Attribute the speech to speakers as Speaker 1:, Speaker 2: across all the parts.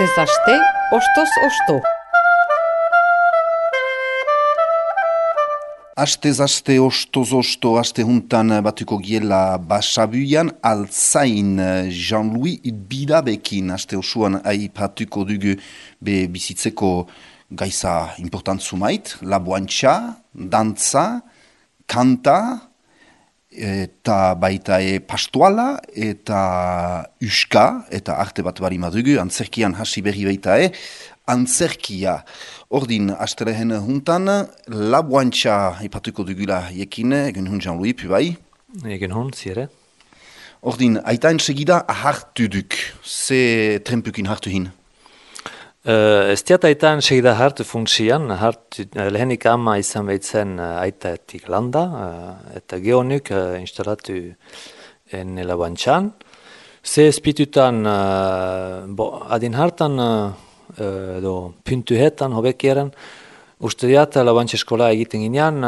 Speaker 1: Astez aste, ostoz osto.
Speaker 2: Astez aste, ostoz osto, aste juntan batuko giela Basabuian, Altzain Jean-Louis Bidabekin. Aste osuan aipatuko dugu be bizitzeko gaisa important sumait, laboantxa, dantza, kanta, eta baita pastuala, eta uska, eta arte bat bari madugu, antzerkian hasi berri baita antzerkia. Ordin, astelehen juntan, laboantxa ipatuko dugula jekin, egen hun Jean-Louis, bai?
Speaker 3: Egen hun, zire.
Speaker 2: Ordin, aitain segida hartu duk, ze trempukin hartu hin?
Speaker 3: Ez diat aitaan segida hartu funksian, lehenik ama izan behitzen aitaetik landa, eta geonuk instalatu en laboantxan. Ze espitutan, adin hartan, puntuhetan, hobekieren, usteat laboantxa eskola egiten ginean,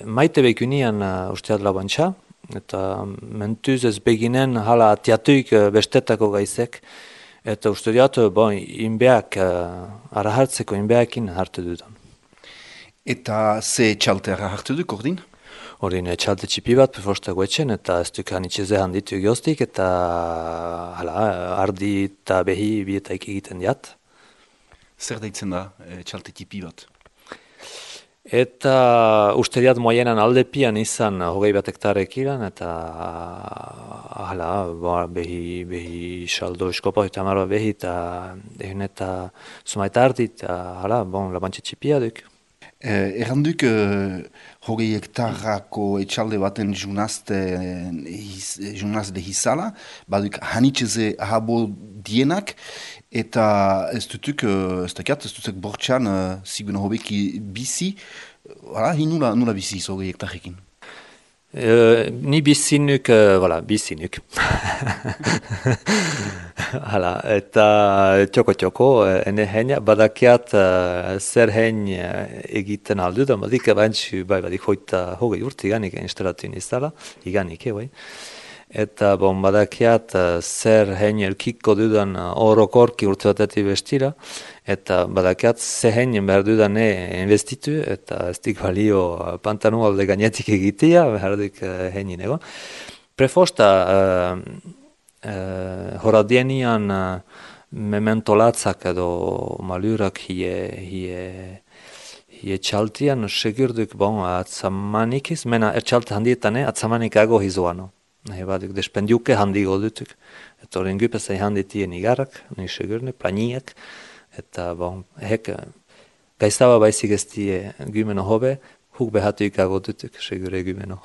Speaker 3: maite bekunian usteat laboantxa, eta mentuz ez beginen hala atiatuik bestetako gaizek, eta usteat, inbeak, arahartzeko inbeakin hartu dudan.
Speaker 2: Eta ze txalte hartu duk, ordin?
Speaker 3: Ordin, txalte txipi bat, peforstako etxen, eta ez duk hanitxeze handitu egioztik, eta ardi eta behi bietaik egiten diat.
Speaker 2: Zer daitzen da txalte tipi bat?
Speaker 3: Eta usteriat moienan aldepian izan hogei bat hektarek iran, eta behi saldo eskopo eta marba behi, eta egin eta sumaita ardi, eta labantxe txipia duk.
Speaker 2: Erranduk hogei hektarako etxalde baten junazde hizala, baduk hanitxeze ahabo dienak, eta ez dutuk bortxan zigun hobeki bizi, nula bizi hogei hektarrekin?
Speaker 3: Ni bizinuk, bizinuk. Eta txoko, ene heina, badakiat zer hein egiten aldu da, badik badik hoita hogei urte iganik instalatu nizala, iganik, Eta badakiat zer hein elkiko dudan orokorki urte batetik bestira, eta badakiat ze heinen behar dudan investitu, eta ez dik balio pantanu alde gainetik egitea, behar dik heinin egon. Prefosta horadienian mementolatzak edo malurak hie txaltian, segurduk atzamanikiz, mena txalte handietan atzamanikago hizoano. Baduk despendiuke handigo dutuk, eta horren gupezai handitien igarrak, segurne, planiak, eta gaizaba baizik ez die gümeno hobe, huk behatu ikago dutuk, segure gümeno.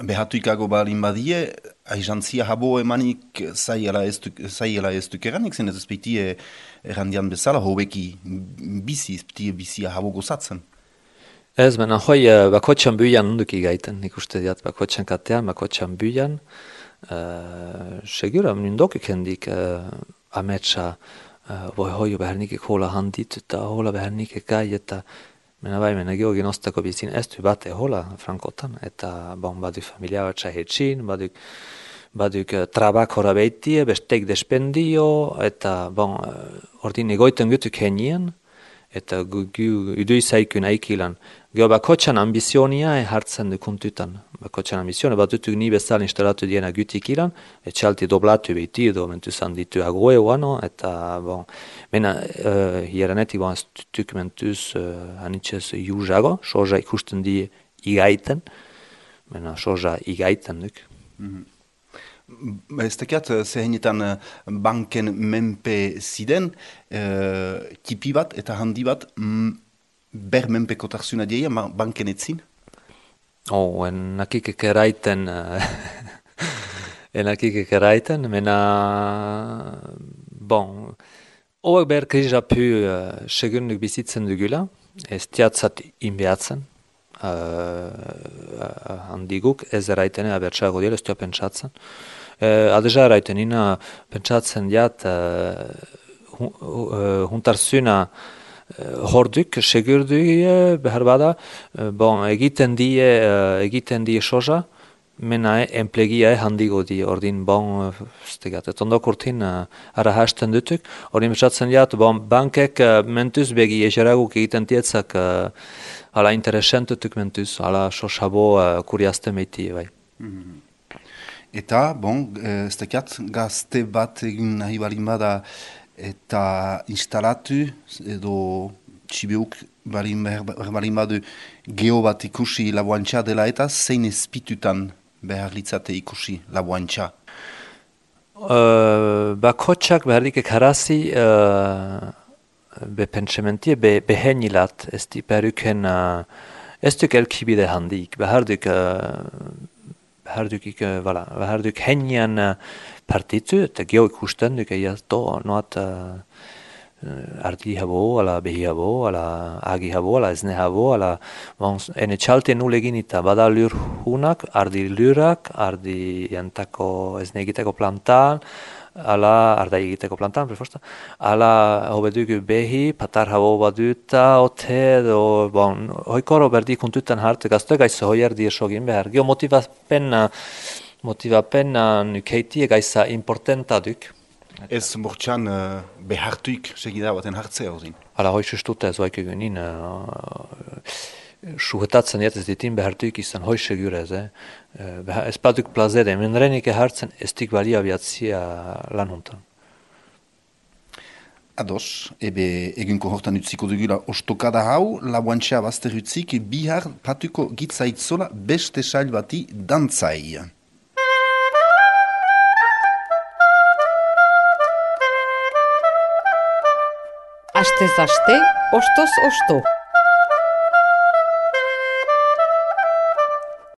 Speaker 2: Behatu ikago balin badie, aizantzia habo emanik zaiela ez duk eranik, zen ez ezpeitie errandian bezala, hobeki bizia habo gozatzen.
Speaker 3: Ez, hoi bakotxan buian onduk igaiten, nik uste diat bakotxan katean, bakotxan buian, segura, nindokik hendik ametsa, hoi behernikik hola handit, eta hola behernikik gai, eta mena geogin ostako bizin ez du bate hola frankotan, eta baduk familia bat txahetxin, baduk trabak hora behitie, bestek despendio, eta ordin egoiten gutuk henien, eta udu izaikun aikilan. Geo bakotxan ambizionia hartzen dukuntutan. Bakotxan ambizionia bat dutuk ni bezal instalatu diena gutik ilan, etxalti doblatu behiti edo mentuzan ditu agoe oano, eta hieranetik ez dutuk mentuz hanitxez juzago, soja ikusten di igaiten, soja igaiten duk.
Speaker 2: Ez tekiat, zehenetan banken menpe ziden, tipi bat eta handi bat, ber menpeko tarzuna dieia, banken etzin?
Speaker 3: Enakik ekeraiten, hauek ber krizapu segurnuk bizitzen dugula, ez tiatzat inbeatzen, handiguk, ez eraiten abertsago dira, ez tia pentsatzen. Adeja eraiten ina pentsatzen diat huntarzuna horduk, segurdu behar bada, egiten die soja, mena enplegia handigo di, ordin bon, stegat, et ondok urtin ara hasten dutuk, ordin betxatzen diat, bon, bankek mentuz begi egeraguk egiten tietzak ala interesentutuk mentuz, ala sosabo kuriazte meiti, bai.
Speaker 2: Eta, bon, ez dakiat, gazte bat egin nahi balin bada eta instalatu, edo txibeuk balin badu geho bat ikusi laboantxa dela eta zein ezpitutan behar litzate ikusi laboantxa?
Speaker 3: Bakotxak behar dikek harazi be pentsementie, be henilat, ez di beharuken, ez duk elkibide handik, behar duk henian partitzu, eta geho ikusten duk eiaz do, noat ardi habo, ala behi habo, ala agi habo, ala ezne habo, ala ene txalte nulegin eta bada lur hunak, ardi lurak, ardi jantako ezne egiteko plantan, ala arda egiteko plantan, prefosta, ala hobeduk behi, patar habo baduta, ote, do, bon, hoikoro berdi kuntutan harte, gazte gaizo hoi erdi esogin behar, geho motivapen nukeiti gaiza importanta duk.
Speaker 2: Ez mortxan behartuik segida baten hartzea hozin.
Speaker 3: Hala hoi sustuta ez vaik egunin, suhetatzen ez ditin behartuik izan hoi segur ez, ez baduk plazede, menrenik hartzen ez dik balia biatzia lan hontan.
Speaker 2: Ados, ebe egunko hortan utziko dugula ostokada hau, laboantxa bazter utzik, bihar patuko gitzaitzola beste sail bati dantzai.
Speaker 1: Astez aste, ostoz osto.